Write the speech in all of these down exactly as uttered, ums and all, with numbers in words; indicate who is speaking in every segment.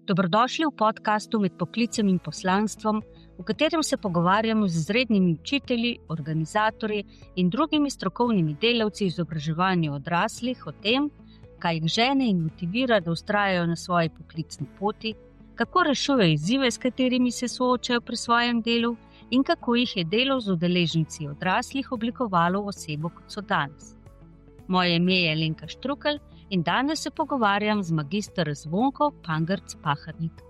Speaker 1: Dobrodošli v podkastu Med poklicem in poslanstvom, v katerem se pogovarjamo z izrednimi učitelji, organizatorji in drugimi strokovnimi delavci izobraževanja odraslih o tem, kaj jih žene in motivira, da vztrajajo na svoji poklicni poti, kako rešujejo izzive, s katerimi se soočajo pri svojem delu in kako jih je delo z udeleženci odraslih oblikovalo v osebo, kot so danes. Moje ime je Alenka Štrukelj in danes se pogovarjam z magister Zvonko Pangerc-Pahernik.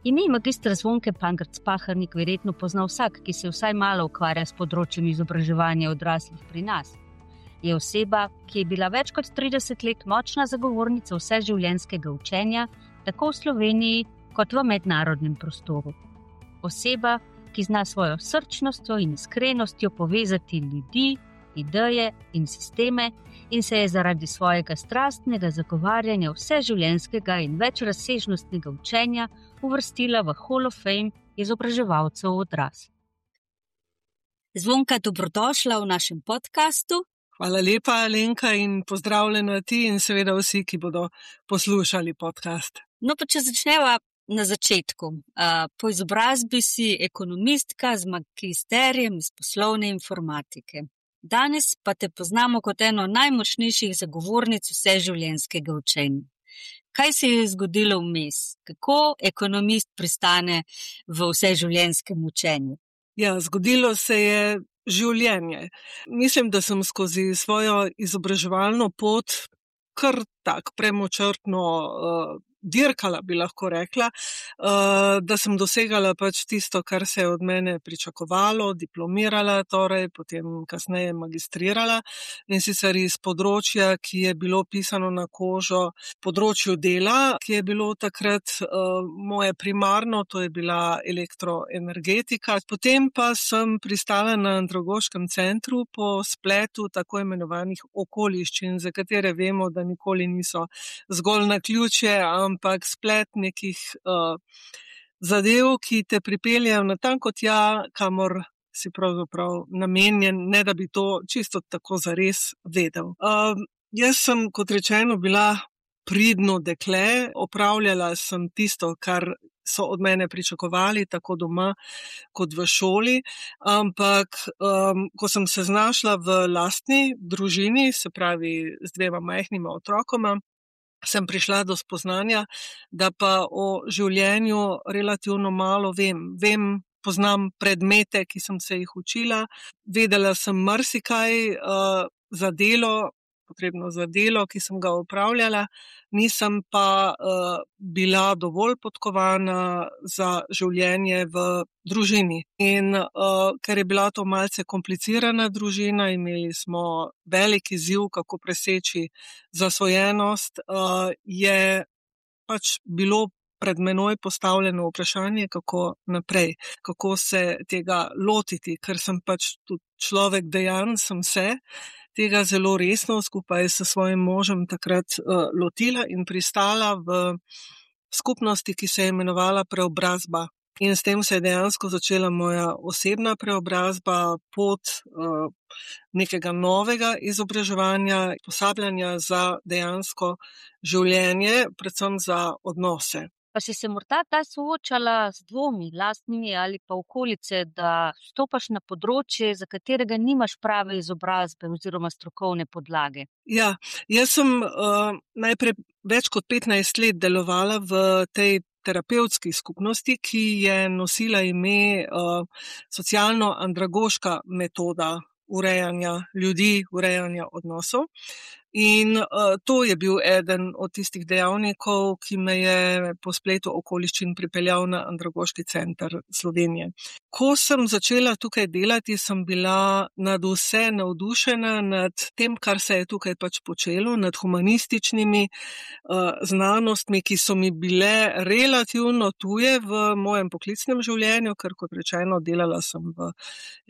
Speaker 1: Ime magistra Zvonke Pangerc-Pahernik verjetno pozna vsak, ki se vsaj malo ukvarja s področjem izobraževanja odraslih pri nas. Je oseba, ki je bila več kot trideset let močna zagovornica vseživljenjskega učenja, tako v Sloveniji kot v mednarodnem prostoru. Oseba, ki zna svojo srčnostjo in iskrenostjo povezati ljudi, ideje in sisteme in se je zaradi svojega strastnega zagovarjanja vseživljenjskega in večrazsežnostnega učenja uvrstila v Hall of Fame izobraževalcev odraslih. Zvonka, dobrodošla v našem podkastu.
Speaker 2: Hvala lepa, Alenka, in pozdravljena ti in seveda vsi, ki bodo poslušali podcast.
Speaker 1: No, pa če začneva na začetku. Po izobrazbi si ekonomistka z magisterijem iz poslovne informatike. Danes pa te poznamo kot eno najmočnejših zagovornic vseživljenjskega učenja. Kaj se je zgodilo vmes? Kako ekonomist pristane v vseživljenjskem učenju?
Speaker 2: Ja, zgodilo se je življenje. Mislim, da sem skozi svojo izobraževalno pot kar tak premočrtno uh, dirkala, bi lahko rekla, uh, da sem dosegala pač tisto, kar se je od mene pričakovalo, diplomirala, torej potem kasneje magistrirala in sicer iz področja, ki je bilo pisano na kožo, področju dela, ki je bilo takrat uh, moje primarno, to je bila elektroenergetika. Potem pa sem pristala na Andragoškem centru po spletu tako imenovanih okoliščin, za katere vemo, da nikoli niso zgolj naključje, ampak splet nekih uh, zadev, ki te pripeljejo natanko tja, kamor si pravzaprav namenjen, ne da bi to čisto tako zares vedel. Uh, jaz sem, kot rečeno, bila pridno dekle, opravljala sem tisto, kar so od mene pričakovali, tako doma kot v šoli, ampak um, ko sem se znašla v lastni družini, se pravi z dvema majhnima otrokoma, sem prišla do spoznanja, da pa o življenju relativno malo vem. Vem, poznam predmete, ki sem se jih učila, vedela sem marsikaj uh, za delo, potrebno za delo, ki sem ga opravljala, nisem pa uh, bila dovolj podkovana za življenje v družini. In uh, ker je bila to malce komplicirana družina, imeli smo velik izziv, kako preseči zasvojenost, uh, je pač bilo pred menoj postavljeno vprašanje, kako naprej, kako se tega lotiti, ker sem pač tudi človek dejan, sem se tega zelo resno skupaj s svojim možem takrat uh, lotila in pristala v skupnosti, ki se je imenovala Preobrazba. In s tem se je dejansko začela moja osebna preobrazba, pot uh, nekega novega izobraževanja, posabljanja za dejansko življenje, predvsem za odnose.
Speaker 1: Pa si se morda ta soočala z dvomi lastnimi ali pa okolice, da stopaš na področje, za katerega nimaš prave izobrazbe oziroma strokovne podlage?
Speaker 2: Ja, jaz sem uh, najprej več kot petnajst let delovala v tej terapevtski skupnosti, ki je nosila ime uh, socialno-andragoška metoda urejanja ljudi, urejanja odnosov. In uh, to je bil eden od tistih dejavnikov, ki me je po spletu okoliščin pripeljal na Andragoški center Slovenije. Ko sem začela tukaj delati, sem bila nad vse navdušena nad tem, kar se je tukaj pač počelo, nad humanističnimi uh, znanostmi, ki so mi bile relativno tuje v mojem poklicnem življenju, ker kot rečeno delala sem v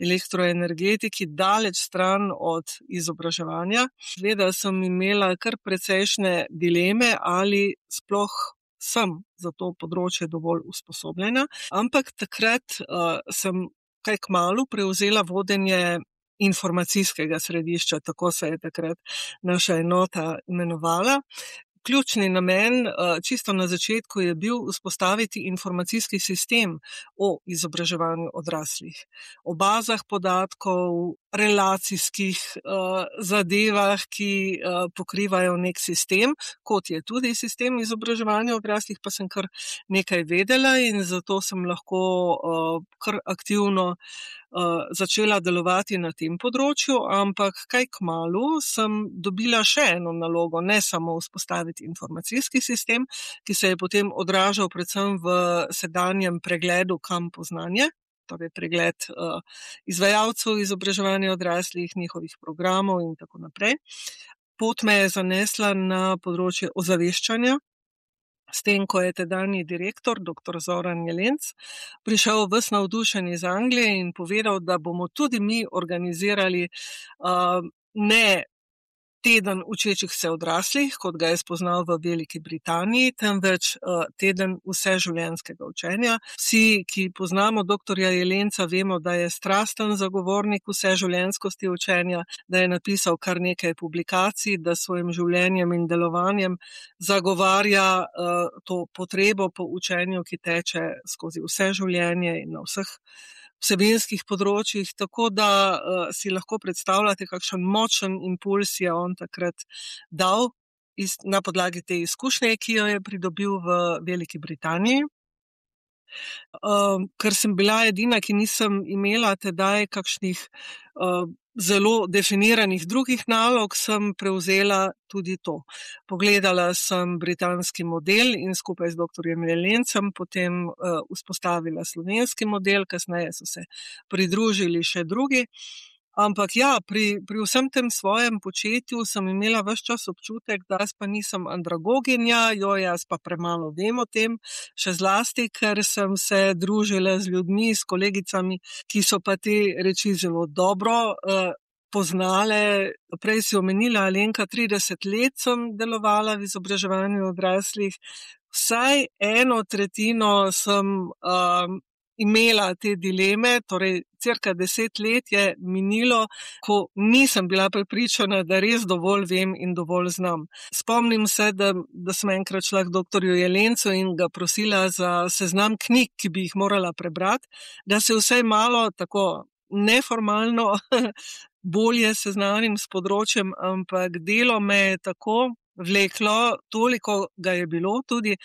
Speaker 2: elektroenergetiki, daleč stran od izobraževanja. Vedela sem imela kar precejšnje dileme, ali sploh sem za to področje dovolj usposobljena, ampak takrat uh, sem kaj kmalu prevzela vodenje informacijskega središča, tako se je takrat naša enota imenovala, ključni namen čisto na začetku je bil vzpostaviti informacijski sistem o izobraževanju odraslih, o bazah podatkov, relacijskih zadevah, ki pokrivajo nek sistem, kot je tudi sistem izobraževanja odraslih, pa sem kar nekaj vedela in zato sem lahko kar aktivno začela delovati na tem področju, ampak kaj kmalu sem dobila še eno nalogo, ne samo vzpostaviti informacijski sistem, ki se je potem odražal predvsem v sedanjem pregledu Kampo znanje, torej pregled izvajalcev izobraževanja odraslih, njihovih programov in tako naprej. Pot me je zanesla na področje ozaveščanja, s tem, ko je tedanji direktor, doktor Zoran Jelenc, prišel ves navdušen iz Anglije in povedal, da bomo tudi mi organizirali uh, ne teden učečih se odraslih, kot ga je spoznal v Veliki Britaniji, temveč uh, teden vseživljenjskega učenja. Vsi, ki poznamo doktorja Jelenca, vemo, da je strasten zagovornik vseživljenjskosti učenja, da je napisal kar nekaj publikacij, da s svojim življenjem in delovanjem zagovarja uh, to potrebo po učenju, ki teče skozi vse življenje in na vseh vsebinskih področjih, tako da uh, si lahko predstavljate, kakšen močen impuls je on takrat dal iz, na podlagi te izkušnje, ki jo je pridobil v Veliki Britaniji. Uh, ker sem bila edina, ki nisem imela tedaj kakšnih uh, zelo definiranih drugih nalog, sem prevzela tudi to. Pogledala sem britanski model in skupaj z doktorjem Jelencem potem uh, vzpostavila slovenski model, kasneje so se pridružili še drugi. Ampak ja, pri, pri vsem tem svojem početju sem imela ves čas občutek, da jaz pa nisem andragoginja, jo jaz pa premalo vem o tem, še zlasti, ker sem se družila z ljudmi, s kolegicami, ki so pa te reči zelo dobro uh, poznale. Prej si omenila, Alenka, trideset let sem delovala v izobraževanju odraslih, vsaj eno tretjino sem uh, imela te dileme, torej cirka deset let je minilo, ko nisem bila prepričana, da res dovolj vem in dovolj znam. Spomnim se, da, da sem enkrat šla k doktorju Jelencu in ga prosila za seznam knjig, ki bi jih morala prebrati, da se vsaj malo tako neformalno bolje seznanim s področjem, ampak delo me je tako vleklo, toliko ga je bilo tudi,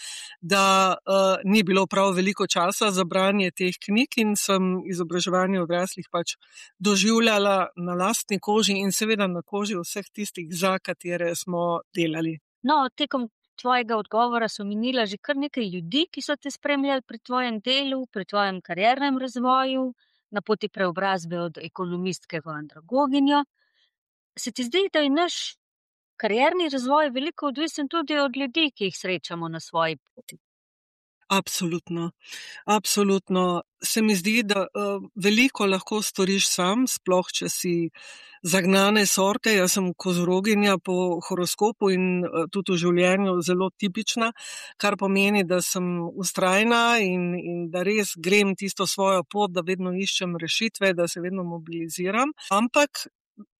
Speaker 2: da uh, ni bilo prav veliko časa za branje teh knjig in sem izobraževanje odraslih pač doživljala na lastni koži in seveda na koži vseh tistih, za katere smo delali.
Speaker 1: No, tekom tvojega odgovora so minila že kar nekaj ljudi, ki so te spremljali pri tvojem delu, pri tvojem kariernem razvoju, na poti preobrazbe od ekonomistke v andragoginjo. Se ti zdi, da je naš karierni razvoj veliko odvisen tudi od ljudi, ki jih srečamo na svoji poti?
Speaker 2: Absolutno, absolutno. Se mi zdi, da uh, veliko lahko storiš sam, sploh če si zagnane sorte. Jaz sem kozoroginja po horoskopu in uh, tudi v življenju zelo tipična, kar pomeni, da sem vztrajna in, in da res grem tisto svojo pot, da vedno iščem rešitve, da se vedno mobiliziram. Ampak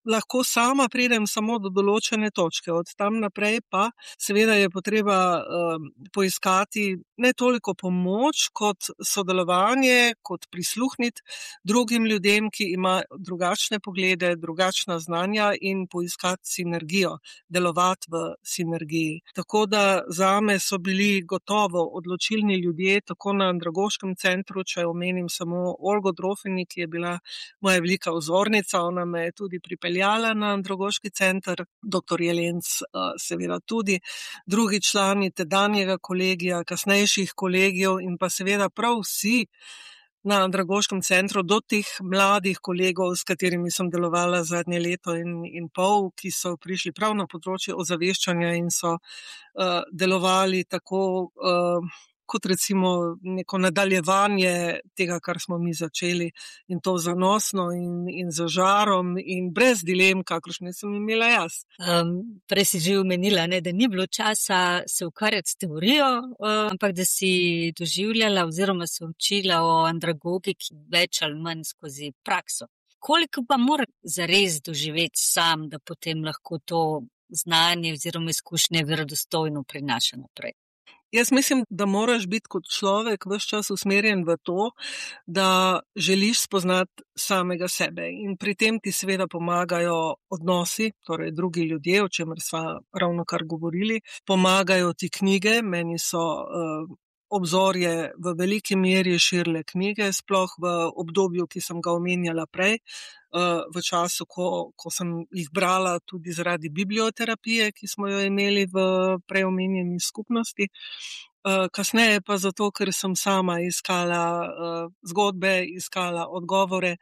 Speaker 2: lahko sama pridem samo do določene točke. Od tam naprej pa seveda je potreba uh, poiskati ne toliko pomoč kot sodelovanje, kot prisluhniti drugim ljudem, ki imajo drugačne poglede, drugačna znanja in poiskati sinergijo, delovati v sinergiji. Tako da zame so bili gotovo odločilni ljudje, tako na Andragoškem centru, če omenim samo Olgo Drofeni, ki je bila moja velika vzornica, ona me je tudi pripeljala na Andragoški center, doktor Jelenc seveda tudi, drugi člani tedanjega kolegija, kasnejših kolegijev in pa seveda prav vsi na Andragoškem centru do teh mladih kolegov, s katerimi sem delovala zadnje leto in, in pol, ki so prišli prav na področje ozaveščanja in so uh, delovali tako uh, kot recimo neko nadaljevanje tega, kar smo mi začeli in to zanosno in, in z žarom in brez dilem, kakršne sem imela jaz.
Speaker 1: Um, prej si že omenila, ne, da ni bilo časa se ukvarjati s teorijo, um, ampak da si doživljala oziroma se učila o andragogiki več ali manj skozi prakso. Koliko pa mora zares doživeti sam, da potem lahko to znanje oziroma izkušnje verodostojno prinaša naprej.
Speaker 2: Jaz mislim, da moraš biti kot človek ves čas usmerjen v to, da želiš spoznati samega sebe. In pri tem ti seveda pomagajo odnosi, torej drugi ljudje, o čemer sva ravno kar govorili. Pomagajo ti knjige, meni so uh, obzorje v veliki meri širile knjige, sploh v obdobju, ki sem ga omenjala prej, uh, v času, ko, ko sem jih brala tudi zaradi biblioterapije, ki smo jo imeli v preomenjeni skupnosti. Uh, kasneje pa zato, ker sem sama iskala uh, zgodbe, iskala odgovore.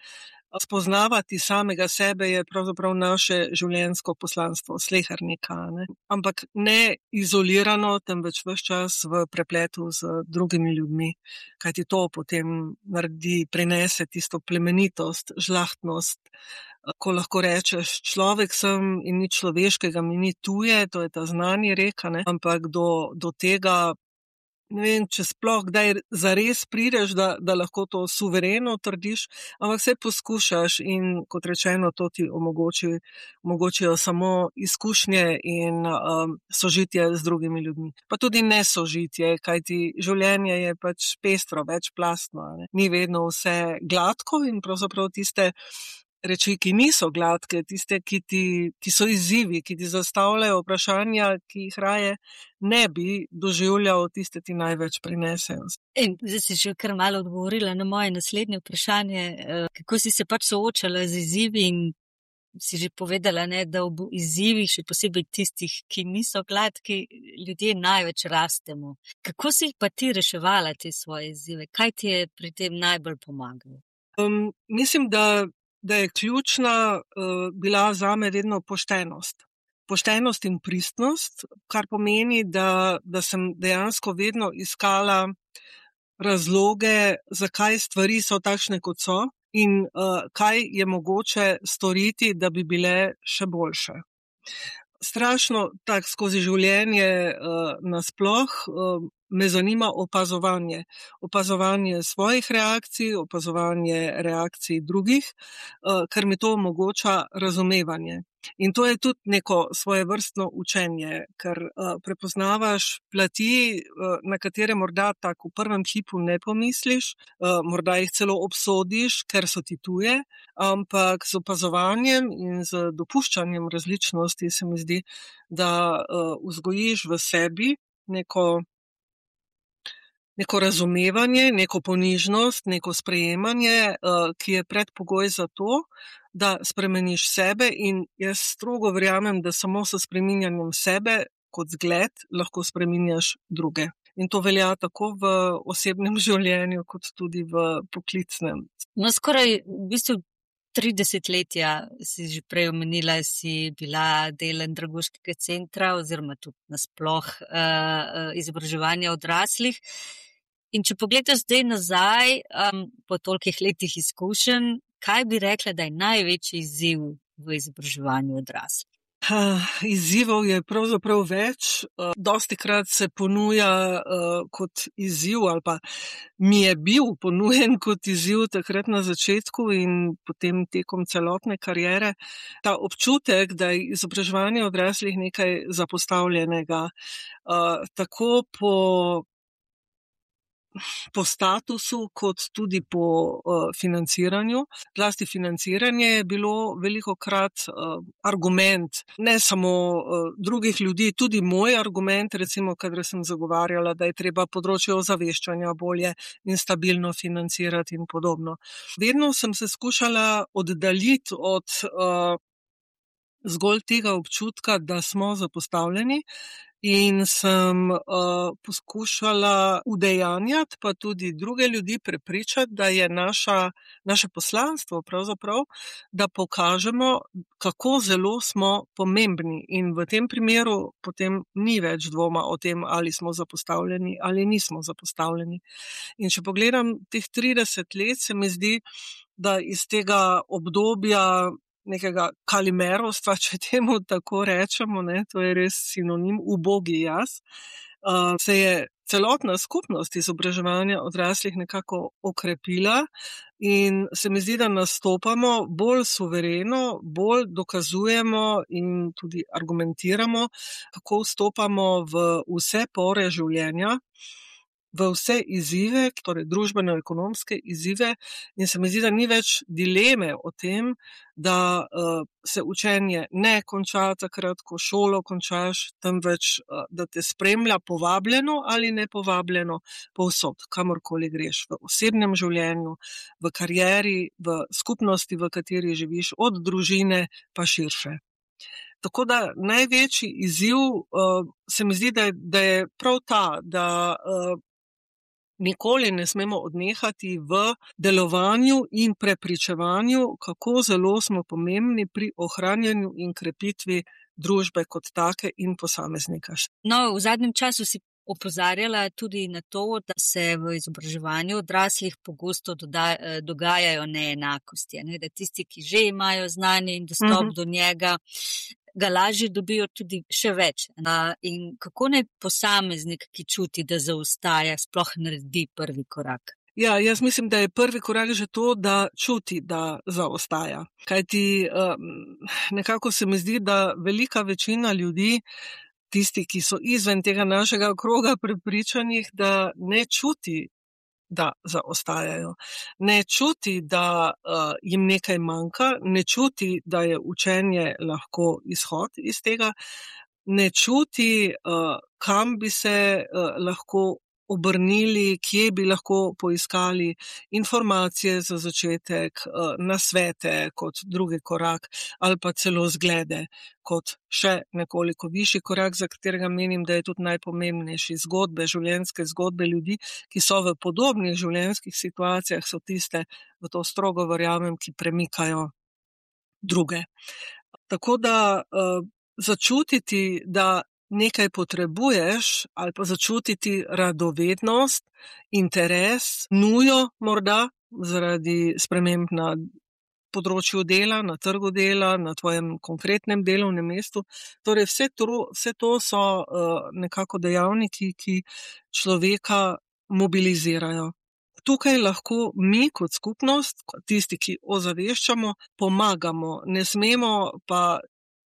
Speaker 2: Spoznavati samega sebe je pravzaprav naše življenjsko poslanstvo, slehernika, ne? Ampak ne izolirano, temveč ves čas v prepletu z drugimi ljudmi, kajti to potem naredi, prinese tisto plemenitost, žlahtnost, ko lahko rečeš, človek sem in ni človeškega, mi ni tuje, to je ta znani reka, ne? Ampak do, do tega, ne vem, če sploh kdaj zares prideš, da, da lahko to suvereno trdiš, ampak vse poskušaš in kot rečeno, to ti omogoči, omogočijo samo izkušnje in um, sožitje z drugimi ljudmi. Pa tudi nesožitje, kajti življenje je pač pestro, večplastno, ne? Ni vedno vse gladko in pravzaprav tiste reči, ki niso gladke, tiste, ki, ti, ki so izzivi, ki ti zastavljajo vprašanja, ki jih raje ne bi doživljal, tiste ti največ prinesejo.
Speaker 1: In zdaj si že kar malo odgovorila na moje naslednje vprašanje, kako si se pač soočala z izzivi in si že povedala, ne, da ob izzivih, še posebej tistih, ki niso gladki, ljudje največ rastemo. Kako si pa ti reševala te svoje izzive? Kaj ti je pri tem najbolj pomagalo?
Speaker 2: Um, mislim, da da je ključna uh, bila zame vedno poštenost. Poštenost in pristnost, kar pomeni, da, da sem dejansko vedno iskala razloge, zakaj stvari so takšne, kot so in uh, kaj je mogoče storiti, da bi bile še boljše. Strašno tak skozi življenje uh, nasploh uh, me zanima opazovanje. Opazovanje svojih reakcij, opazovanje reakcij drugih, uh, ker mi to omogoča razumevanje. In to je tudi neko svojevrstno učenje, ker uh, prepoznavaš plati, uh, na katere morda tako v prvem hipu ne pomisliš, uh, morda jih celo obsodiš, ker so ti tuje, ampak z opazovanjem in z dopuščanjem različnosti se mi zdi, da uh, vzgojiš v sebi neko neko razumevanje, neko ponižnost, neko sprejemanje, ki je predpogoj za to, da spremeniš sebe in jaz strogo verjamem, da samo s spreminjanjem sebe kot zgled lahko spreminjaš druge. In to velja tako v osebnem življenju, kot tudi v poklicnem.
Speaker 1: No, skoraj v bistvu tri desetletja si že prej omenila, si bila del andragoškega centra oziroma tudi nasploh uh, izobraževanja odraslih. In če pogledaš zdaj nazaj, um, po tolikih letih izkušenj, kaj bi rekla, da je največji izziv v izobraževanju odraslih?
Speaker 2: Uh, izzivov je pravzaprav več. Uh, dostikrat se ponuja uh, kot izziv ali pa mi je bil ponujen kot izziv takrat na začetku in potem tekom celotne kariere. Ta občutek, da je izobraževanje odraslih nekaj zapostavljenega, uh, tako po po statusu, kot tudi po uh, financiranju. Zlasti financiranje je bilo velikokrat uh, argument, ne samo uh, drugih ljudi, tudi moj argument, recimo, kadar sem zagovarjala, da je treba področje ozaveščanja bolje in stabilno financirati in podobno. Vedno sem se skušala oddaljiti od uh, zgolj tega občutka, da smo zapostavljeni, in sem uh, poskušala udejanjati, pa tudi druge ljudi prepričati, da je naša, naše poslanstvo pravzaprav, da pokažemo, kako zelo smo pomembni. In v tem primeru potem ni več dvoma o tem, ali smo zapostavljeni ali nismo zapostavljeni. In če pogledam teh trideset let, se mi zdi, da iz tega obdobja nekega kalimerostva, če temu tako rečemo, ne, to je res sinonim, ubogi jaz, uh, se je celotna skupnost izobraževanja odraslih nekako okrepila, in se mi zdi, da nastopamo bolj suvereno, bolj dokazujemo in tudi argumentiramo, kako vstopamo v vse pore življenja, v vse izzive, torej družbeno-ekonomske izzive, in se mi zdi, da ni več dileme o tem, da uh, se učenje ne konča takrat, ko šolo končaš, temveč uh, da te spremlja povabljeno ali nepovabljeno povsod, kamorkoli greš, v osebnem življenju, v karieri, v skupnosti, v kateri živiš, od družine pa širše. Tako da največji izziv uh, se mi zdi, da je, da je prav ta, da uh, nikoli ne smemo odnehati v delovanju in prepričevanju, kako zelo smo pomembni pri ohranjanju in krepitvi družbe kot take in posameznika.
Speaker 1: No, v zadnjem času si opozarjala tudi na to, da se v izobraževanju odraslih pogosto doda, dogajajo neenakosti, ne? Da tisti, ki že imajo znanje in dostop uh-huh. do njega, ga lažje dobijo tudi še več. In kako naj posameznik, ki čuti, da zaostaja, sploh naredi prvi korak?
Speaker 2: Ja, jaz mislim, da je prvi korak že to, da čuti, da zaostaja. Kajti nekako se mi zdi, da velika večina ljudi, tisti, ki so izven tega našega kroga prepričanih, da ne čuti, da zaostajajo. Ne čuti, da uh, jim nekaj manjka, ne čuti, da je učenje lahko izhod iz tega, ne čuti, uh, kam bi se uh, lahko obrnili, kje bi lahko poiskali informacije za začetek, uh, nasvete kot drugi korak ali pa celo zglede kot še nekoliko višji korak, za katerega menim, da je tudi najpomembnejši. Zgodbe, življenjske zgodbe ljudi, ki so v podobnih življenjskih situacijah, so tiste, v to strogo verjamem, ki premikajo druge. Tako da uh, začutiti, da nekaj potrebuješ ali pa začutiti radovednost, interes, nujo morda zaradi sprememb na področju dela, na trgu dela, na tvojem konkretnem delovnem mestu. Torej vse to, vse to so uh, nekako dejavniki, ki človeka mobilizirajo. Tukaj lahko mi kot skupnost, tisti, ki ozaveščamo, pomagamo. Ne smemo pa,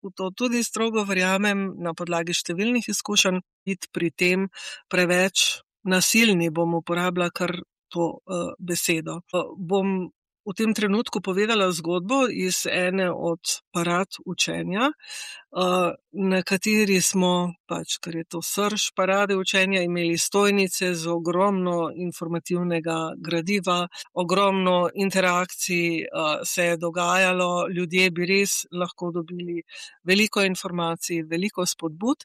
Speaker 2: v to tudi strogo verjamem na podlagi številnih izkušenj, biti pri tem preveč nasilni, bom uporabila kar to uh, besedo. Uh, bom v tem trenutku povedala zgodbo iz ene od parad učenja, uh, na kateri smo, pač, ker je to srž parade učenja, imeli stojnice z ogromno informativnega gradiva, ogromno interakcij uh, se je dogajalo, ljudje bi res lahko dobili veliko informacij, veliko spodbud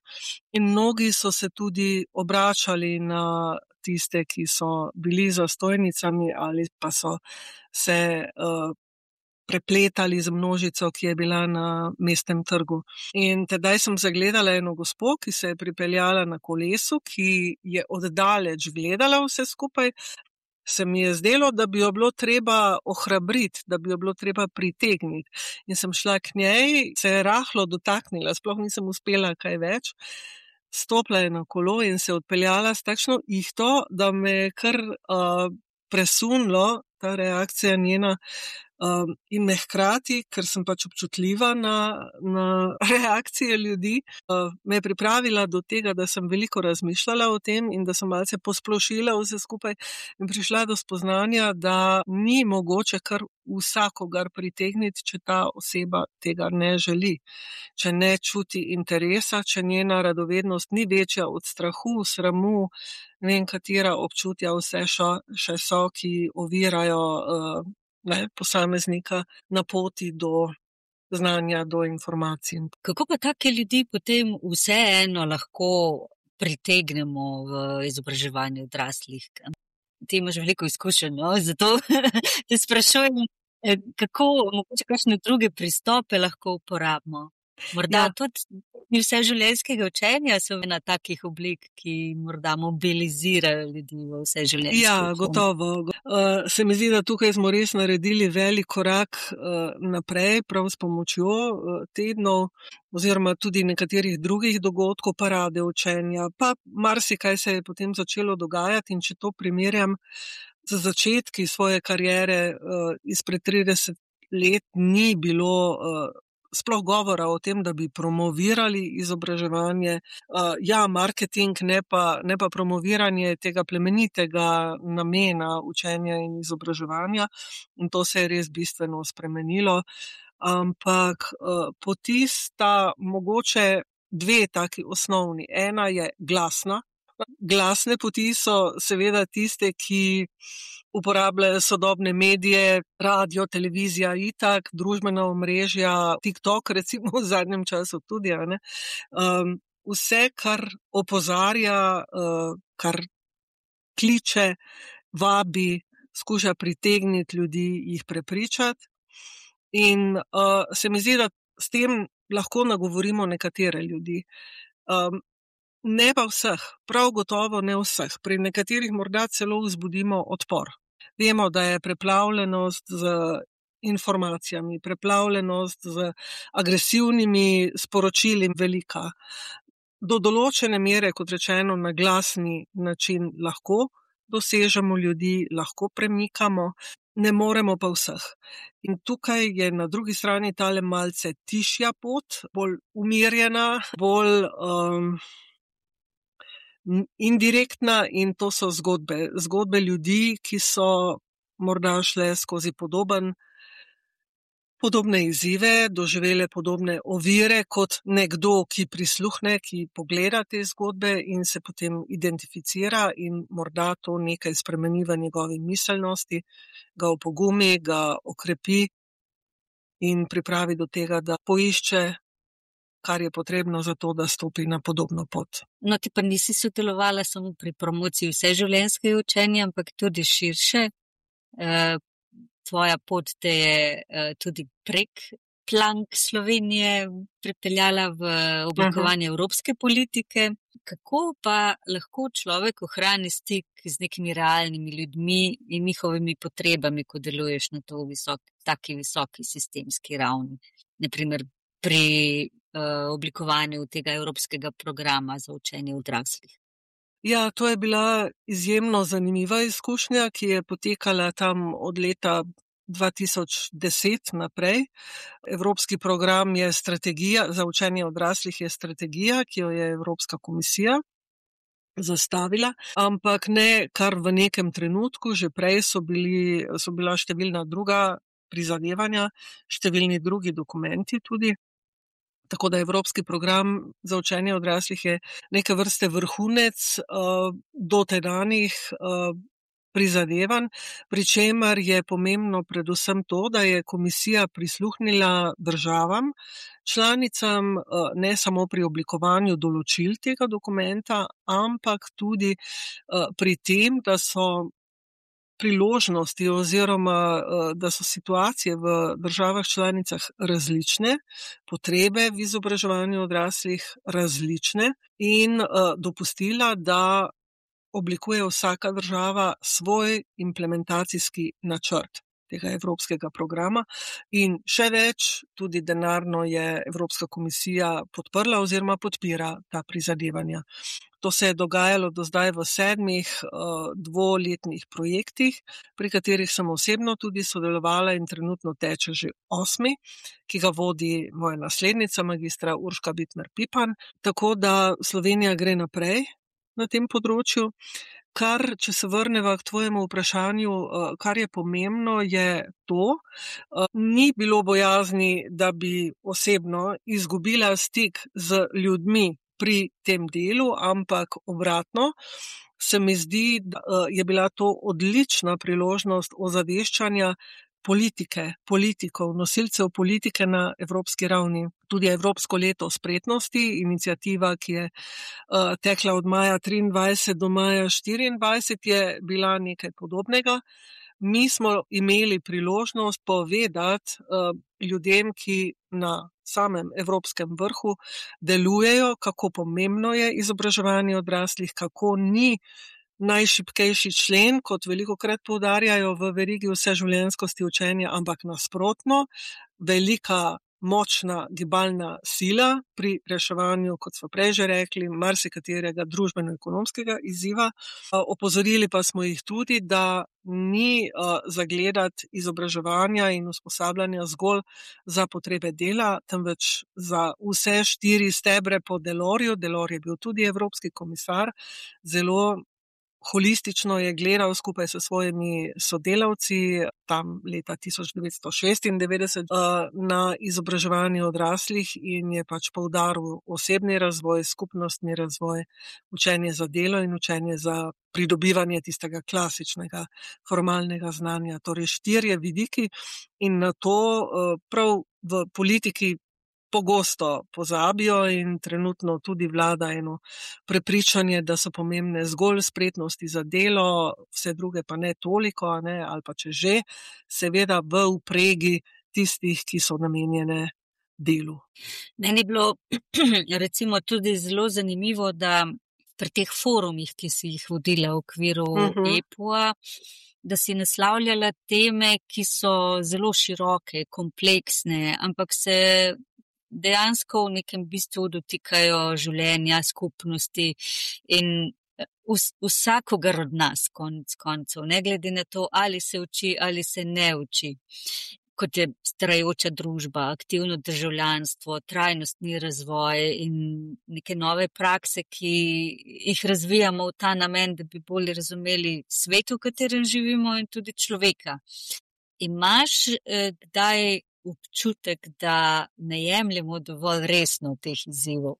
Speaker 2: in mnogi so se tudi obračali na tiste, ki so bili za stojnicami ali pa so se uh, prepletali z množico, ki je bila na mestnem trgu. In tedaj sem zagledala eno gospo, ki se je pripeljala na kolesu, ki je oddaleč gledala vse skupaj. Se mi je zdelo, da bi jo bilo treba ohrabriti, da bi jo bilo treba pritegniti. In sem šla k njej, se je rahlo dotaknila, sploh nisem uspela kaj več. Stopila je na kolo in se odpeljala s takšno ihto, da me je kar uh, presunilo ta reakcija njena um, in me hkrati, ker sem pač občutljiva na, na reakcije ljudi, uh, me je pripravila do tega, da sem veliko razmišljala o tem in da sem malce posplošila vse skupaj in prišla do spoznanja, da ni mogoče kar vsakogar pritegniti, če ta oseba tega ne želi. Če ne čuti interesa, če njena radovednost ni večja od strahu, sramu, ne vem katera občutja vse šo, še so, ki ovirajo uh, ne, posameznika na poti do znanja, do informacij.
Speaker 1: Kako pa take ljudi potem vseeno lahko pritegnemo v izobraževanje odraslih? Ti imaš veliko izkušenj, no? Zato te sprašujem, kako mogoče kakšne druge pristope lahko uporabimo. Morda ja. Tudi vse življenjskega učenja so ena takih oblik, ki morda mobilizirajo ljudi v vse življenjsko.
Speaker 2: Ja, gotovo. Uh, se mi zdi, da tukaj smo res naredili velik korak uh, naprej, prav s pomočjo uh, tednov oziroma tudi nekaterih drugih dogodkov, parade učenja. Pa marsikaj se je potem začelo dogajati in če to primerjam za začetki svoje kariere izpred trideset let ni bilo sploh govora o tem, da bi promovirali izobraževanje. Ja, marketing, ne pa, ne pa promoviranje tega plemenitega namena učenja in izobraževanja. In to se je res bistveno spremenilo. Ampak poti sta mogoče dve taki osnovni. Ena je glasna. Glasne poti so seveda tiste, ki uporabljajo sodobne medije, radio, televizija, itak, družbena omrežja, TikTok recimo v zadnjem času tudi, a ne. Um, vse, kar opozarja, uh, kar kliče, vabi, skuša pritegniti ljudi, jih prepričati. In uh, se mi zdi, da s tem lahko nagovorimo nekatere ljudi. Um, ne pa vseh, prav gotovo ne vseh. Pri nekaterih morda celo vzbudimo odpor. Vemo, da je preplavljenost z informacijami, preplavljenost z agresivnimi sporočili velika. Do določene mere, kot rečeno, na glasni način lahko dosežemo ljudi, lahko premikamo, ne moremo pa vseh. In tukaj je na drugi strani tale malce tišja pot, bolj umirjena, bolj um, indirektna, in to so zgodbe. Zgodbe ljudi, ki so morda šle skozi podoben, podobne izzive, doživele podobne ovire kot nekdo, ki prisluhne, ki pogleda te zgodbe in se potem identificira in morda to nekaj spremeni v njegovi miselnosti, ga opogumi, ga okrepi in pripravi do tega, da poišče, kar je potrebno za to, da stopi na podobno pot.
Speaker 1: No, ti pa nisi sodelovala samo pri promociji vseživljenjskega učenja, ampak tudi širše. E, tvoja pot te je e, tudi prek plank Slovenije pripeljala v oblikovanje uh-huh. evropske politike. Kako pa lahko človek ohrani stik z nekimi realnimi ljudmi in njihovimi potrebami, ko deluješ na to visoki, taki visoki sistemski ravni? Naprimer pri oblikovanju tega evropskega programa za učenje odraslih.
Speaker 2: Ja, to je bila izjemno zanimiva izkušnja, ki je potekala tam od leta dva tisoč deset naprej. Evropski program je strategija, za učenje odraslih je strategija, ki jo je Evropska komisija zastavila, ampak ne kar v nekem trenutku, že prej so bili, so bila številna druga prizadevanja, številni drugi dokumenti tudi. Tako da Evropski program za učenje odraslih je neke vrste vrhunec uh, dotedanjih uh, prizadevanj, pri čemer je pomembno predvsem to, da je komisija prisluhnila državam, članicam uh, ne samo pri oblikovanju določil tega dokumenta, ampak tudi uh, pri tem, da so priložnosti oziroma da so situacije v državah članicah različne, potrebe v izobraževanju odraslih različne in dopustila, da oblikuje vsaka država svoj implementacijski načrt tega evropskega programa in še več, tudi denarno je Evropska komisija podprla oziroma podpira ta prizadevanja. To se je dogajalo do zdaj v sedmih uh, dvoletnih projektih, pri katerih sem osebno tudi sodelovala in trenutno teče že osmi, ki ga vodi moja naslednica, magistra Urška Bitmer Pipan. Tako da Slovenija gre naprej na tem področju. Kar, če se vrneva k tvojemu vprašanju, kar je pomembno, je to, ni bilo bojazni, da bi osebno izgubila stik z ljudmi pri tem delu, ampak obratno, se mi zdi, da je bila to odlična priložnost ozaveščanja politike, politikov, nosilcev politike na evropski ravni. Tudi Evropsko leto spretnosti, iniciativa, ki je uh, tekla od maja triindvajset do maja štiriindvajset, je bila nekaj podobnega. Mi smo imeli priložnost povedati uh, ljudem, ki na samem evropskem vrhu delujejo, kako pomembno je izobraževanje odraslih, kako ni najšibkejši člen, kot velikokrat poudarjajo v verigi vseživljenjskosti učenja, ampak nasprotno, velika, močna gibalna sila pri reševanju, kot smo prej že rekli, marsikaterega družbeno-ekonomskega izziva. Opozorili pa smo jih tudi, da ni uh, zagledati izobraževanja in usposabljanja zgolj za potrebe dela, temveč za vse štiri stebre po Delorju. Delor je bil tudi evropski komisar, zelo holistično je gledal skupaj s svojimi sodelavci tam leta tisoč devetsto šestindevetdeset na izobraževanje odraslih in je pač poudaril osebni razvoj, skupnostni razvoj, učenje za delo in učenje za pridobivanje tistega klasičnega formalnega znanja. Torej štirje vidiki in na to prav v politiki pogosto pozabijo in trenutno tudi vlada eno prepričanje, da so pomembne zgolj spretnosti za delo, vse druge pa ne toliko, ne, ali pa če že, seveda v vpregi tistih, ki so namenjene delu.
Speaker 1: Meni je bilo recimo tudi zelo zanimivo, da pri teh forumih, ki si jih vodila v okviru uh-huh. E P O-a, da si naslavljala teme, ki so zelo široke, kompleksne, ampak se dejansko v nekem bistvu dotikajo življenja, skupnosti in vs- vsakogar od nas, konec koncev, ne glede na to, ali se uči ali se ne uči. Kot je starajoča družba, aktivno državljanstvo, trajnostni razvoj in neke nove prakse, ki jih razvijamo v ta namen, da bi bolje razumeli svet, v katerem živimo in tudi človeka. Imaš eh, kdaj občutek, da ne jemljemo dovolj resno teh izzivov?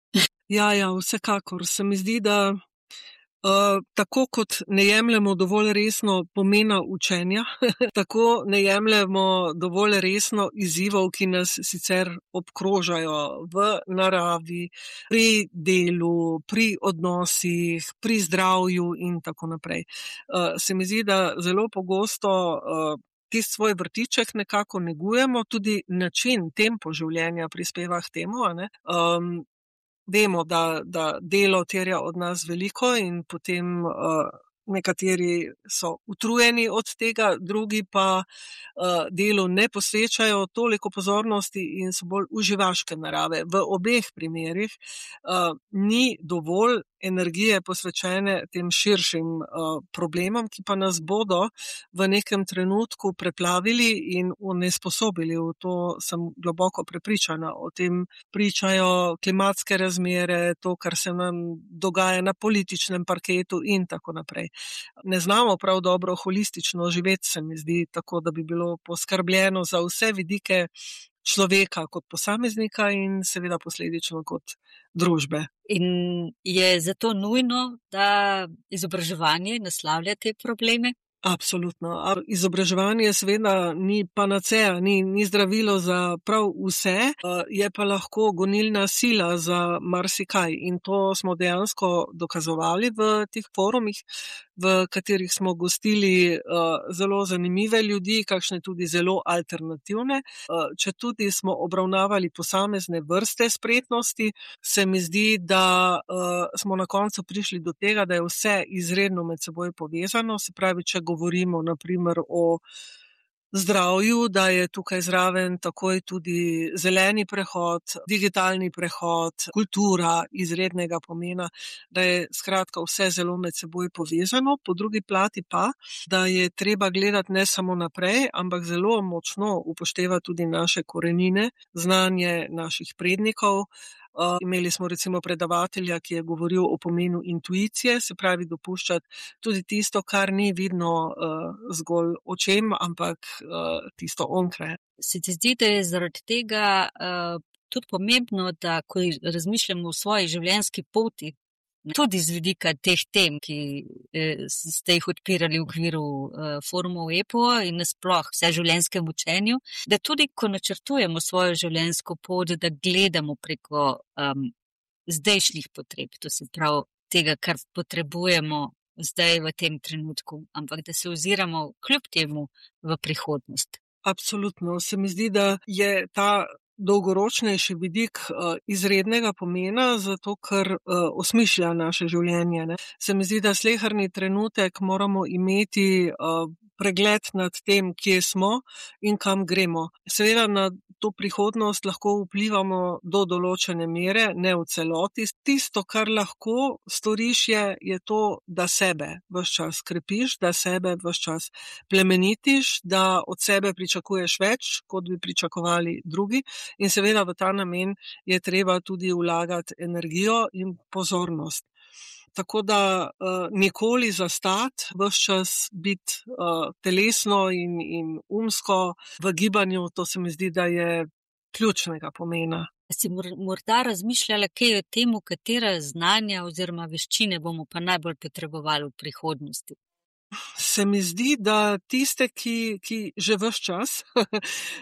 Speaker 2: Ja, ja, vsekakor. Se mi zdi, da uh, tako kot ne jemljemo dovolj resno pomena učenja, tako ne jemljemo dovolj resno izzivov, ki nas sicer obkrožajo v naravi, pri delu, pri odnosih, pri zdravju in tako naprej. Uh, se mi zdi, da zelo pogosto uh, tisti svoj vrtiček nekako negujemo, tudi način, tempo življenja prispeva k temu. Um, vemo, da, da delo terja od nas veliko in potem uh, nekateri so utrujeni od tega, drugi pa uh, delu ne posvečajo toliko pozornosti in so bolj uživaške narave. V obeh primerih uh, ni dovolj energije posvečene tem širšim uh, problemom, ki pa nas bodo v nekem trenutku preplavili in onesposobili. V to sem globoko prepričana. O tem pričajo klimatske razmere, to, kar se nam dogaja na političnem parketu in tako naprej. Ne znamo prav dobro holistično živeti, se mi zdi, tako da bi bilo poskrbljeno za vse vidike človeka kot posameznika in seveda posledično kot družbe.
Speaker 1: In je zato nujno, da izobraževanje naslavlja te probleme?
Speaker 2: Absolutno. Izobraževanje seveda ni panacea, ni, ni zdravilo za prav vse, je pa lahko gonilna sila za marsikaj in to smo dejansko dokazovali v teh forumih, v katerih smo gostili uh, zelo zanimive ljudi, kakšne tudi zelo alternativne. Uh, če tudi smo obravnavali posamezne vrste spretnosti, se mi zdi, da uh, smo na koncu prišli do tega, da je vse izredno med seboj povezano. Se pravi, če govorimo na primer o zdravju, da je tukaj zraven takoj tudi zeleni prehod, digitalni prehod, kultura izrednega pomena, da je skratka vse zelo med seboj povezano. Po drugi plati pa, da je treba gledati ne samo naprej, ampak zelo močno upoštevati tudi naše korenine, znanje naših prednikov. Uh, imeli smo recimo predavatelja, ki je govoril o pomenu intuicije, se pravi dopuščati tudi tisto, kar ni vidno uh, zgolj očem, ampak uh, tisto onkraj.
Speaker 1: Se ti zdi, da je zaradi tega uh, tudi pomembno, da ko razmišljamo o svoji življenjski poti, tudi z vidika teh tem, ki eh, ste jih odpirali v okviru eh, forumov E P O in nasploh vse življenjskem učenju, da tudi ko načrtujemo svojo življenjsko pot, da gledamo preko um, zdajšnjih potreb, to se pravi tega, kar potrebujemo zdaj v tem trenutku, ampak da se oziramo kljub temu v prihodnost.
Speaker 2: Absolutno. Se mi zdi, da je ta dolgoročnejši vidik uh, izrednega pomena, zato ker uh, osmišlja naše življenje. Ne? Se mi zdi, da sleherni trenutek moramo imeti uh, pregled nad tem, kje smo in kam gremo. Seveda na to prihodnost lahko vplivamo do določene mere, ne v celoti. Tisto, kar lahko storiš, je, je to, da sebe ves čas krepiš, da sebe ves čas plemenitiš, da od sebe pričakuješ več, kot bi pričakovali drugi. In seveda v ta namen je treba tudi vlagati energijo in pozornost. Tako da uh, nikoli zastati, ves čas biti uh, telesno in, in umsko v gibanju, to se mi zdi, da je ključnega pomena.
Speaker 1: Si morda razmišljala, kaj je o tem, katera znanja oziroma veščine bomo pa najbolj potrebovali v prihodnosti?
Speaker 2: Se mi zdi, da tiste, ki, ki že ves čas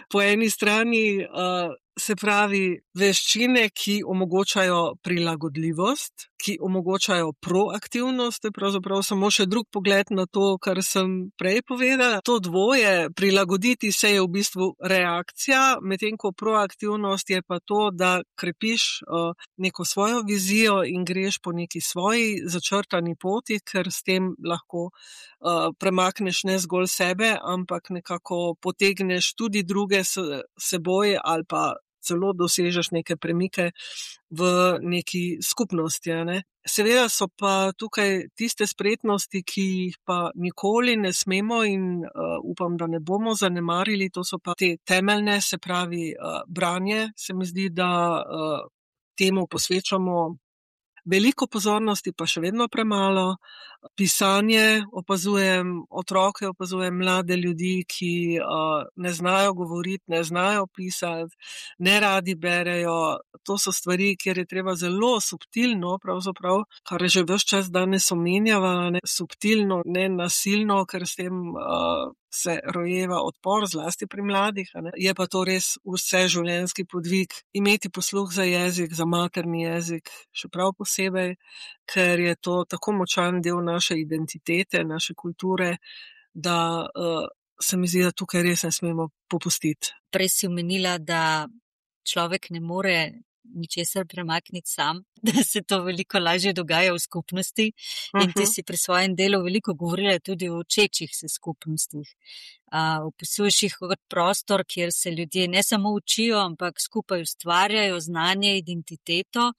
Speaker 2: po eni strani uh, se pravi veščine, ki omogočajo prilagodljivost, ki omogočajo proaktivnost, to je pravzaprav samo še drug pogled na to, kar sem prej povedala. To dvoje, prilagoditi se je v bistvu reakcija, medtem ko proaktivnost je pa to, da krepiš uh, neko svojo vizijo in greš po neki svoji začrtani poti, ker s tem lahko uh, premakneš ne zgolj sebe, ampak nekako potegneš tudi druge s seboj ali pa celo dosežeš neke premike v neki skupnosti. Ne? Seveda so pa tukaj tiste spretnosti, ki jih pa nikoli ne smemo in uh, upam, da ne bomo zanemarili, to so pa te temeljne, se pravi uh, branje. Se mi zdi, da uh, temu posvečamo veliko pozornosti, pa še vedno premalo. Pisanje, opazujem otroke, opazujem mlade ljudi, ki uh, ne znajo govoriti, ne znajo pisati, ne radi berejo. To so stvari, kjer je treba zelo subtilno, pravzaprav, kar je že ves čas danes omenjava, ne, subtilno, ne nasilno, ker s tem uh, se rojeva odpor, zlasti pri mladih. Ne. Je pa to res vse življenjski podvig. Imeti posluh za jezik, za materni jezik, še prav posebej, ker je to tako močan del naše identitete, naše kulture, da uh, se mi zdi, da tukaj res ne smemo popustiti.
Speaker 1: Prej si omenila, da človek ne more ničesar premakniti sam, da se to veliko lažje dogaja v skupnosti. In ti si pri svojem delu veliko govorila tudi o učečih se skupnostih. Uh, opisuješ jih kot prostor, kjer se ljudje ne samo učijo, ampak skupaj ustvarjajo znanje, identiteto.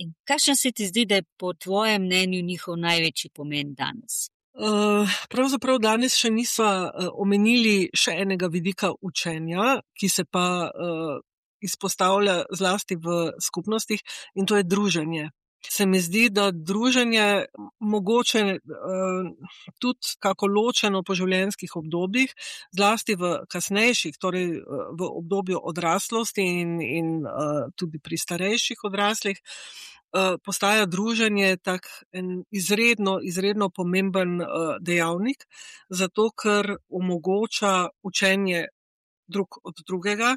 Speaker 1: In kakšen se ti zdi, da je po tvojem mnenju njihov največji pomen danes?
Speaker 2: Uh, pravzaprav danes še nismo uh, omenili še enega vidika učenja, ki se pa uh, izpostavlja zlasti v skupnostih, in to je druženje. Se mi zdi, da druženje mogoče uh, tudi kako ločeno po življenjskih obdobjih, zlasti v kasnejših, torej uh, v obdobju odraslosti in, in uh, tudi pri starejših odraslih, uh, postaja druženje tak en izredno, izredno pomemben uh, dejavnik, zato ker omogoča učenje drug od drugega,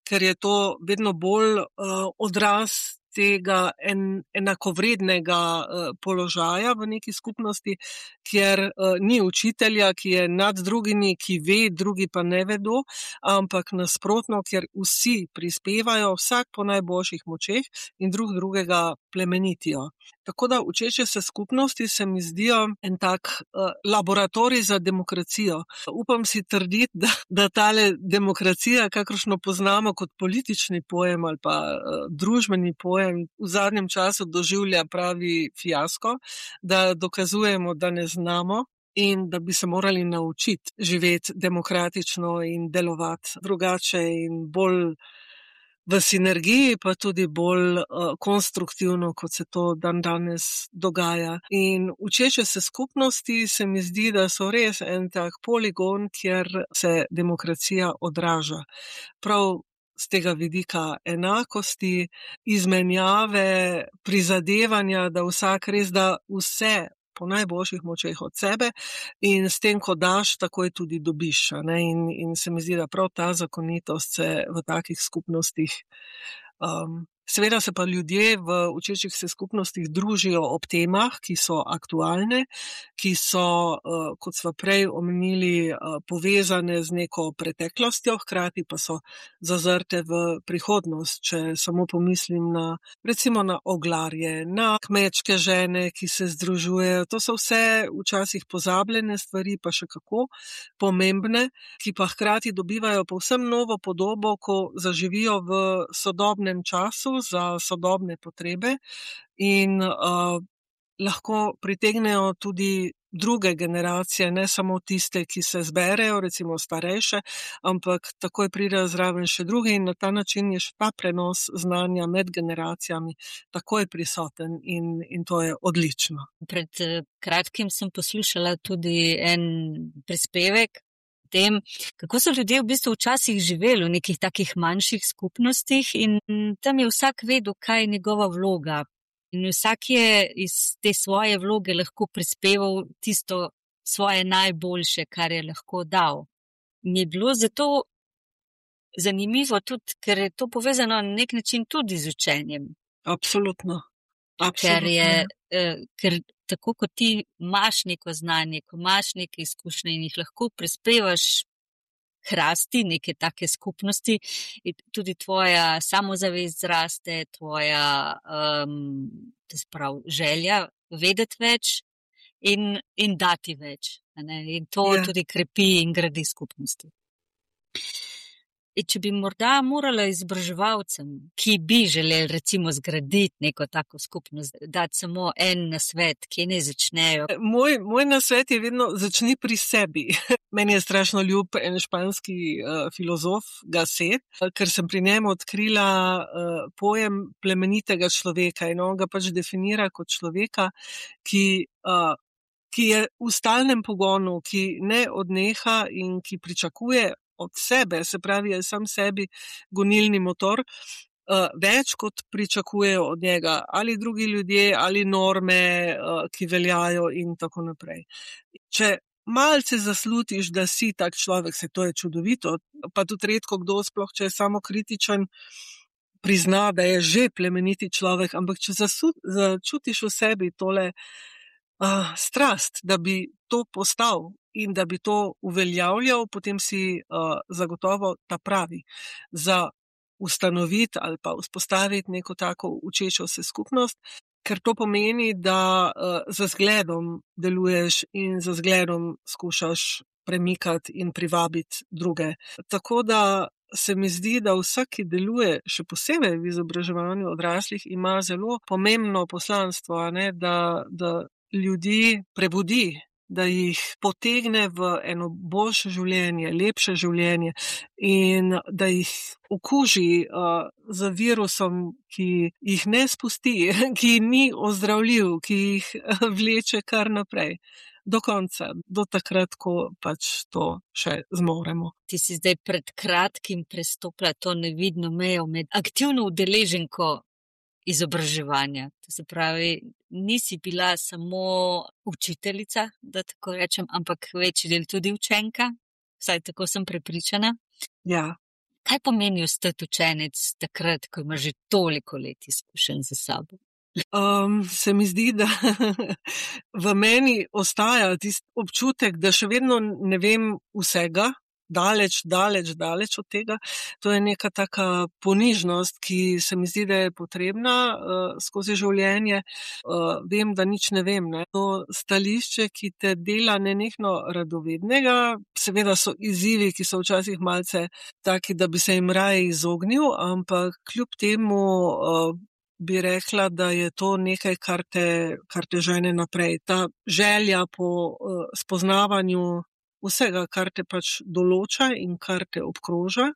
Speaker 2: ker je to vedno bolj uh, odraz tega en, enakovrednega uh, položaja v neki skupnosti, kjer uh, ni učitelja, ki je nad drugimi, ki ve, drugi pa ne vedo, ampak nasprotno, kjer vsi prispevajo, vsak po najboljših močeh in drug drugega plemenitijo. Tako da učeče se skupnosti se mi zdijo en tak uh, laboratorij za demokracijo. Upam si trditi, da, da tale demokracija, kakršno poznamo kot politični pojem ali pa uh, družbeni pojem, v zadnjem času doživlja pravi fiasko, da dokazujemo, da ne znamo in da bi se morali naučiti živeti demokratično in delovati drugače in bolj v sinergiji, pa tudi bolj uh, konstruktivno, kot se to dan danes dogaja. In učeče se skupnosti se mi zdi, da so res en tak poligon, kjer se demokracija odraža. Prav z tega vidika enakosti, izmenjave, prizadevanja, da vsak res da vse po najboljših močeh od sebe in s tem, ko daš, takoj tudi dobiš. Ne? In, in se mi zdi, da prav ta zakonitost se v takih skupnostih um, Seveda se pa ljudje v učečih se skupnostih družijo ob temah, ki so aktualne, ki so, kot sva prej omenili, povezane z neko preteklostjo, hkrati pa so zazrte v prihodnost. Če samo pomislim na, recimo na oglarje, na kmečke žene, ki se združujejo. To so vse včasih pozabljene stvari, pa še kako pomembne, ki pa hkrati dobivajo povsem novo podobo, ko zaživijo v sodobnem času za sodobne potrebe in uh, lahko pritegnejo tudi druge generacije, ne samo tiste, ki se zberejo, recimo starejše, ampak takoj pridejo zraven še drugi in na ta način je še ta prenos znanja med generacijami takoj prisoten in, in to je odlično.
Speaker 1: Pred kratkim sem poslušala tudi en prispevek tem, kako so ljudje v bistvu včasih živeli v nekih takih manjših skupnostih in tam je vsak vedel, kaj je njegova vloga. In vsak je iz te svoje vloge lahko prispeval tisto svoje najboljše, kar je lahko dal. In je bilo zato zanimivo tudi, ker je to povezano na nek način tudi z učenjem.
Speaker 2: Absolutno. Absolutno.
Speaker 1: Ker je, eh, ker tako kot ti imaš neko znanje, ko imaš neke izkušnje in jih lahko prispevaš k rasti neke take skupnosti, tudi tvoja samozavest zraste, tvoja um, to se pravi, želja vedeti več in, in dati več. Ne? In to ja. Tudi krepi in gradi skupnosti. In če bi morda morala izobraževalcem, ki bi želeli recimo zgraditi neko tako skupnost, dati samo en nasvet, kje ne začnejo?
Speaker 2: Moj, moj nasvet je vedno začni pri sebi. Meni je strašno ljub en španski uh, filozof Gasset, ker sem pri njemu odkrila uh, pojem plemenitega človeka in on ga pač definira kot človeka, ki, uh, ki je v stalnem pogonu, ki ne odneha in ki pričakuje od sebe, se pravi, je sam sebi gonilni motor, uh, več kot pričakujejo od njega ali drugi ljudje, ali norme, uh, ki veljajo in tako naprej. Če malce zaslutiš, da si tak človek, se to je čudovito, pa tudi redko kdo, sploh če je samokritičen, prizna, da je že plemeniti človek, ampak če zasu, začutiš v sebi tole uh, strast, da bi to postal, in da bi to uveljavljal, potem si uh, zagotovo ta pravi za ustanoviti ali pa vzpostaviti neko tako učečo se skupnost, ker to pomeni, da uh, za zgledom deluješ in za zgledom skušaš premikati in privabiti druge. Tako da se mi zdi, da vsak, ki deluje še posebej v izobraževanju odraslih, ima zelo pomembno poslanstvo, ne, da, da ljudi prebudi, da jih potegne v eno boljše življenje, lepše življenje in da jih okuži uh, z virusom, ki jih ne spusti, ki ni ozdravljiv, ki jih vleče kar naprej. Do konca, do takrat, ko pač to še zmoremo.
Speaker 1: Ti si zdaj pred kratkim prestopila to nevidno mejo med aktivno udeleženko izobraževanja. To se pravi, nisi bila samo učiteljica, da tako rečem, ampak večji del tudi učenka, vsaj tako sem prepričana.
Speaker 2: Ja.
Speaker 1: Kaj pomeni ostati učenec takrat, ko imaš že toliko let izkušenj za sabo?
Speaker 2: Um, se mi zdi, da v meni ostaja tisti občutek, da še vedno ne vem vsega, daleč, daleč, daleč od tega. To je neka taka ponižnost, ki se mi zdi, da je potrebna uh, skozi življenje. Uh, vem, da nič ne vem. Ne? To stališče, ki te dela nenehno radovednega, seveda so izzivi, ki so včasih malce taki, da bi se jim raje izognil, ampak kljub temu uh, bi rekla, da je to nekaj, kar te, kar te žene naprej. Ta želja po uh, spoznavanju vsega, kar te pač določa in kar te obkroža.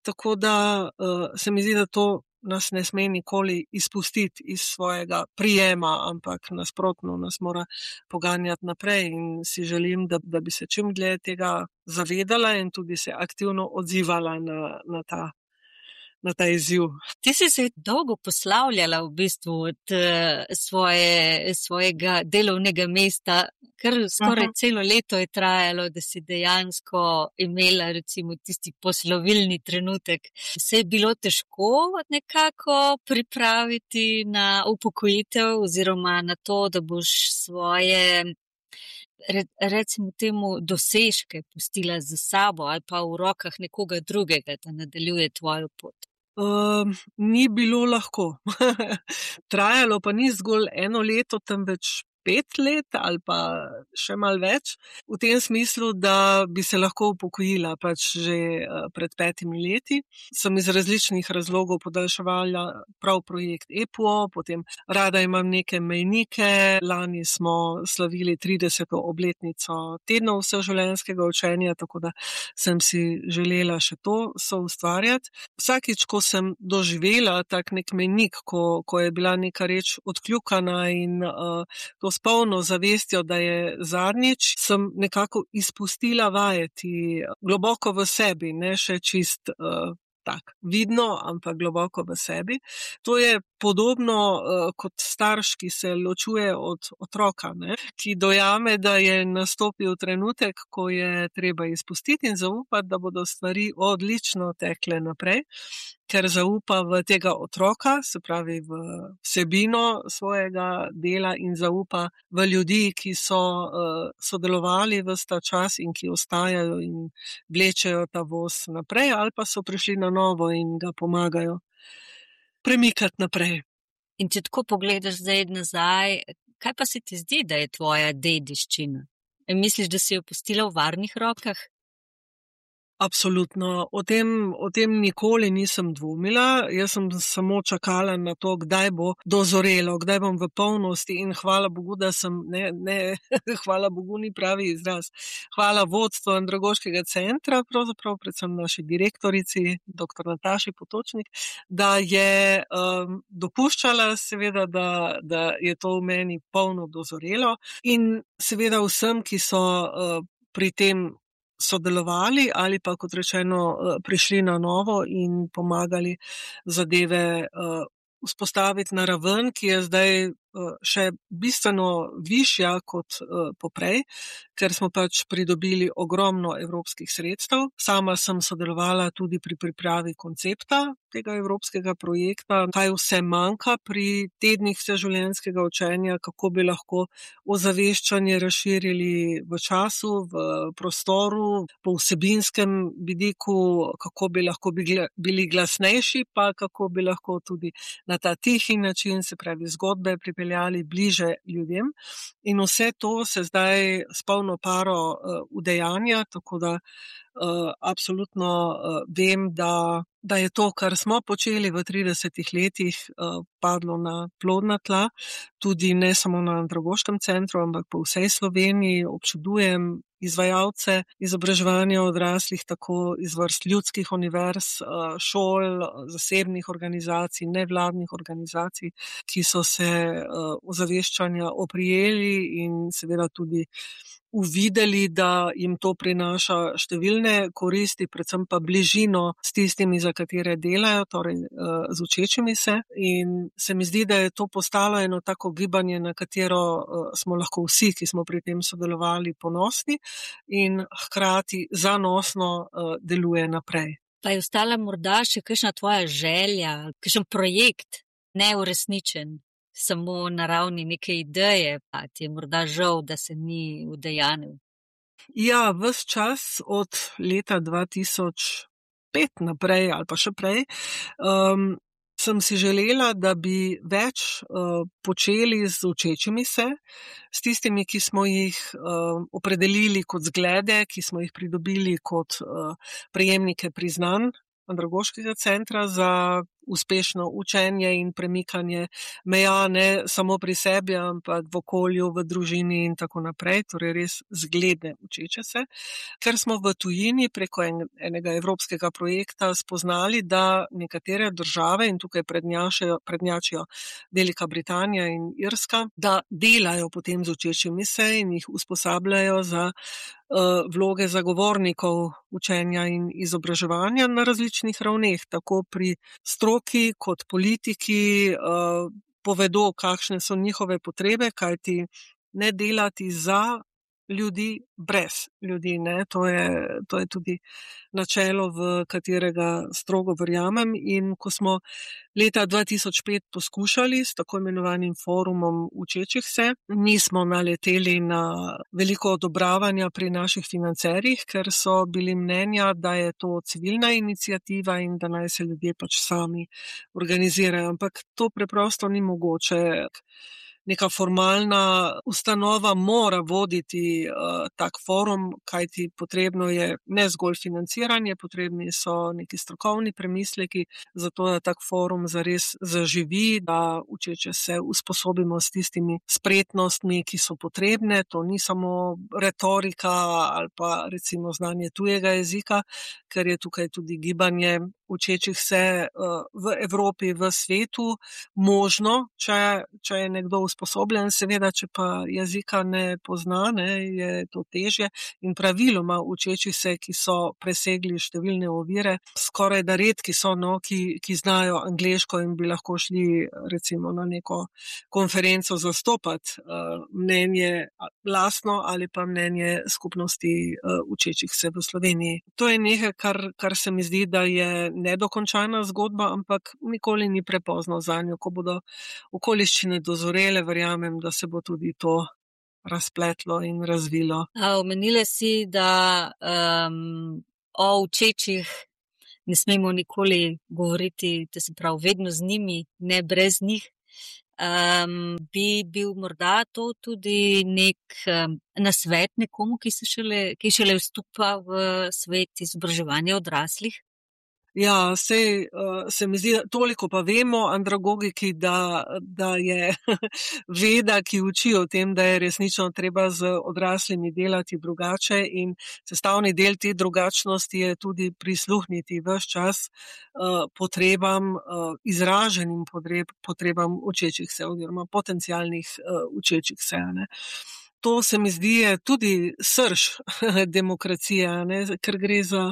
Speaker 2: Tako da uh, se mi zdi, da to nas ne sme nikoli izpustiti iz svojega prijema, ampak nasprotno nas mora poganjati naprej in si želim, da, da bi se čim dlje tega zavedala in tudi se aktivno odzivala na, na ta na ta izziv.
Speaker 1: Ti si se dolgo poslavljala v bistvu od uh, svoje, svojega delovnega mesta, kar skoraj
Speaker 2: Aha.
Speaker 1: celo leto je trajalo, da si dejansko imela recimo tisti poslovilni trenutek. Se je bilo težko nekako pripraviti na upokojitev oziroma na to, da boš svoje, recimo temu, dosežke pustila za sabo ali pa v rokah nekoga drugega, da nadaljuje tvojo pot?
Speaker 2: Um, ni bilo lahko. Trajalo pa ni zgolj eno leto, temveč pet let ali pa še malo več, v tem smislu, da bi se lahko upokojila pač že pred petimi leti. Sem iz različnih razlogov podaljševala prav projekt E P O, potem rada imam neke mejnike. Lani smo slavili trideseto obletnico tednov vseživljenjskega učenja, tako da sem si želela še to soustvarjati. Vsakič, ko sem doživela tak nek mejnik, ko, ko je bila neka reč odkljukana in uh, to s polno zavestjo, da je zadnjič, sem nekako izpustila vajeti globoko v sebi, ne še čist uh, tak vidno, ampak globoko v sebi. To je podobno uh, kot starš, ki se ločuje od otroka, ne? Ki dojame, da je nastopil trenutek, ko je treba izpustiti in zaupati, da bodo stvari odlično tekle naprej, ker zaupa v tega otroka, se pravi v vsebino svojega dela in zaupa v ljudi, ki so uh, sodelovali ves ta čas in ki ostajajo in vlečejo ta voz naprej ali pa so prišli na novo in ga pomagajo premikati naprej.
Speaker 1: In če tako pogledaš zdaj nazaj, kaj pa se ti zdi, da je tvoja dediščina? Misliš, da si jo pustila v varnih rokah?
Speaker 2: Absolutno. O tem, o tem nikoli nisem dvomila. Jaz sem samo čakala na to, kdaj bo dozorelo, kdaj bom v polnosti in hvala Bogu, da sem, ne, ne, hvala Bogu ni pravi izraz. Hvala vodstvu Andragoškega centra, pravzaprav predvsem naši direktorici, doktor Nataši Potočnik, da je um, dopuščala seveda, da, da je to v meni polno dozorelo in seveda vsem, ki so uh, pri tem sodelovali ali pa, kot rečeno, prišli na novo in pomagali zadeve uh, vzpostaviti na raven, ki je zdaj uh, še bistveno višja kot uh, poprej, ker smo pač pridobili ogromno evropskih sredstev. Sama sem sodelovala tudi pri pripravi koncepta tega evropskega projekta, kaj vse manjka pri tednih vseživljenjskega učenja, kako bi lahko ozaveščanje razširili v času, v prostoru, po vsebinskem vidiku, kako bi lahko bili glasnejši, pa kako bi lahko tudi na ta tihi način, se pravi zgodbe, pripeljali bliže ljudem. In vse to se zdaj s polno paro uh, udejanja, tako da uh, absolutno uh, vem, da da je to, kar smo počeli v tridesetih letih, padlo na plodna tla, tudi ne samo na Andragoškem centru, ampak po vsej Sloveniji. Občudujem izvajalce izobraževanja odraslih, tako iz vrst ljudskih univerz, šol, zasebnih organizacij, nevladnih organizacij, ki so se ozaveščanja oprijeli in seveda tudi uvideli, da jim to prinaša številne koristi, predvsem pa bližino s tistimi, za katere delajo, torej z učečimi se. In se mi zdi, da je to postalo eno tako gibanje, na katero smo lahko vsi, ki smo pri tem sodelovali, ponosni in hkrati zanosno deluje naprej.
Speaker 1: Pa je ostala morda še kakšna tvoja želja, kakšen projekt neuresničen? Samo na ravni neke ideje, pa ti je morda žal, da se ni udejanil?
Speaker 2: Ja, ves čas od leta dva tisoč pet naprej ali pa še prej um, sem si želela, da bi več uh, počeli z učečimi se, s tistimi, ki smo jih uh, opredelili kot zglede, ki smo jih pridobili kot uh, prejemnike priznanj Andragoškega centra za uspešno učenje in premikanje meja ne samo pri sebi, ampak v okolju, v družini in tako naprej, torej res zgledne učeče se. Ker smo v tujini preko en, enega evropskega projekta spoznali, da nekatere države, in tukaj prednjačijo, prednjačijo Velika Britanija in Irska, da delajo potem z učečimi se in jih usposabljajo za uh, vloge zagovornikov učenja in izobraževanja na različnih ravneh, tako pri stroki kot politiki, uh, povedo, kakšne so njihove potrebe, kajti ne delati za ljudi brez ljudi, ne, to je, to je tudi načelo, v katerega strogo verjamem. In ko smo leta dva tisoč pet poskušali s tako imenovanim forumom učečih se, nismo naleteli na veliko odobravanja pri naših financerjih, ker so bili mnenja, da je to civilna iniciativa in da naj se ljudje pač sami organizirajo. Ampak to preprosto ni mogoče. Neka formalna ustanova mora voditi uh, tak forum, kajti potrebno je ne zgolj financiranje, potrebni so neki strokovni premisleki, zato da tak forum zares zaživi, da učeče se usposobimo s tistimi spretnostmi, ki so potrebne. To ni samo retorika ali pa recimo znanje tujega jezika, ker je tukaj tudi gibanje učečih se uh, v Evropi, v svetu možno, če, če je nekdo usposobljen, seveda, če pa jezika ne pozna, ne, je to težje. In praviloma učečih se, ki so presegli številne ovire, skoraj da redki so, no, ki, ki znajo angleško in bi lahko šli recimo na neko konferenco zastopati uh, mnenje lastno ali pa mnenje skupnosti uh, učečih se v Sloveniji. To je nekaj, kar, kar se mi zdi, da je nedokončana zgodba, ampak nikoli ni prepozno zanjo. Ko bodo okoliščine dozorele, verjamem, da se bo tudi to razpletlo in razvilo.
Speaker 1: A, omenila si, da um, o učečih ne smemo nikoli govoriti, da se pravi vedno z njimi, ne brez njih. Um, bi bil morda to tudi nek um, nasvet nekomu, ki se šele, ki šele vstopa v svet izobraževanja odraslih?
Speaker 2: Ja, sej uh, se mi zdi, toliko pa vemo andragogiki, da, da je veda, ki uči o tem, da je resnično treba z odraslimi delati drugače in sestavni del te drugačnosti je tudi prisluhniti ves čas uh, potrebam, uh, izraženim potreb, potrebam učečih se oziroma potencialnih uh, učečih se, ne. To se mi zdi je tudi srž demokracije, ne, ker gre za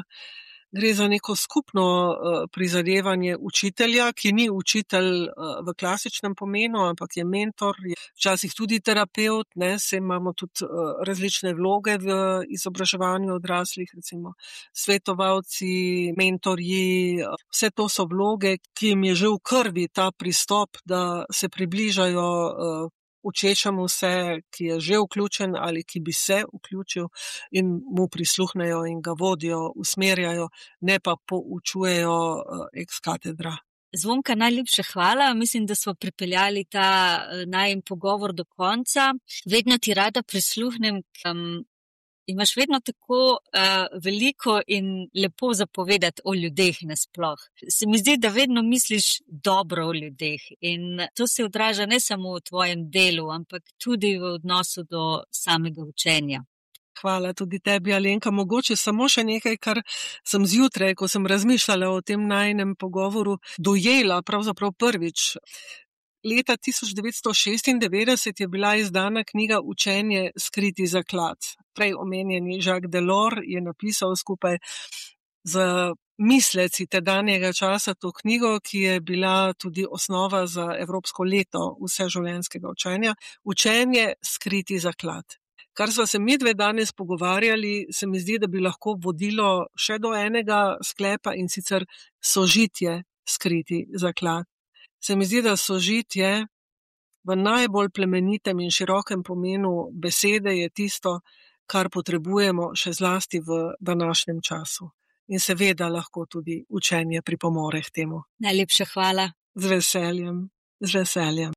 Speaker 2: Gre za neko skupno uh, prizadevanje učitelja, ki ni učitelj uh, v klasičnem pomenu, ampak je mentor, je včasih tudi terapeut, ne, se imamo tudi uh, različne vloge v izobraževanju odraslih, recimo svetovalci, mentorji, uh, vse to so vloge, ki jim je že v krvi ta pristop, da se približajo uh, učečemu se, ki je že vključen ali ki bi se vključil in mu prisluhnejo in ga vodijo, usmerjajo, ne pa poučujejo uh, ex katedra.
Speaker 1: Zvonka, najlepša hvala. Mislim, da smo pripeljali ta uh, najin pogovor do konca. Vedno ti rada prisluhnem, um, imaš vedno tako uh, veliko in lepo zapovedati o ljudeh nasploh. Se mi zdi, da vedno misliš dobro o ljudeh in to se odraža ne samo v tvojem delu, ampak tudi v odnosu do samega učenja.
Speaker 2: Hvala tudi tebi, Alenka. Mogoče samo še nekaj, kar sem zjutraj, ko sem razmišljala o tem najinem pogovoru, dojela pravzaprav prvič. Leta tisoč devetsto šestindevetdeset je bila izdana knjiga Učenje skriti zaklad. Prej omenjeni Jacques Delors je napisal skupaj z misleci tedanjega časa to knjigo, ki je bila tudi osnova za Evropsko leto vseživljenjskega učenja. Učenje skriti zaklad. Kar sva se midve danes pogovarjali, se mi zdi, da bi lahko vodilo še do enega sklepa, in sicer sožitje skriti zaklad. Se mi zdi, da sožitje v najbolj plemenitem in širokem pomenu besede je tisto, kar potrebujemo še zlasti v današnjem času. In seveda lahko tudi učenje pripomore k temu.
Speaker 1: Najlepša hvala.
Speaker 2: Z veseljem, z veseljem.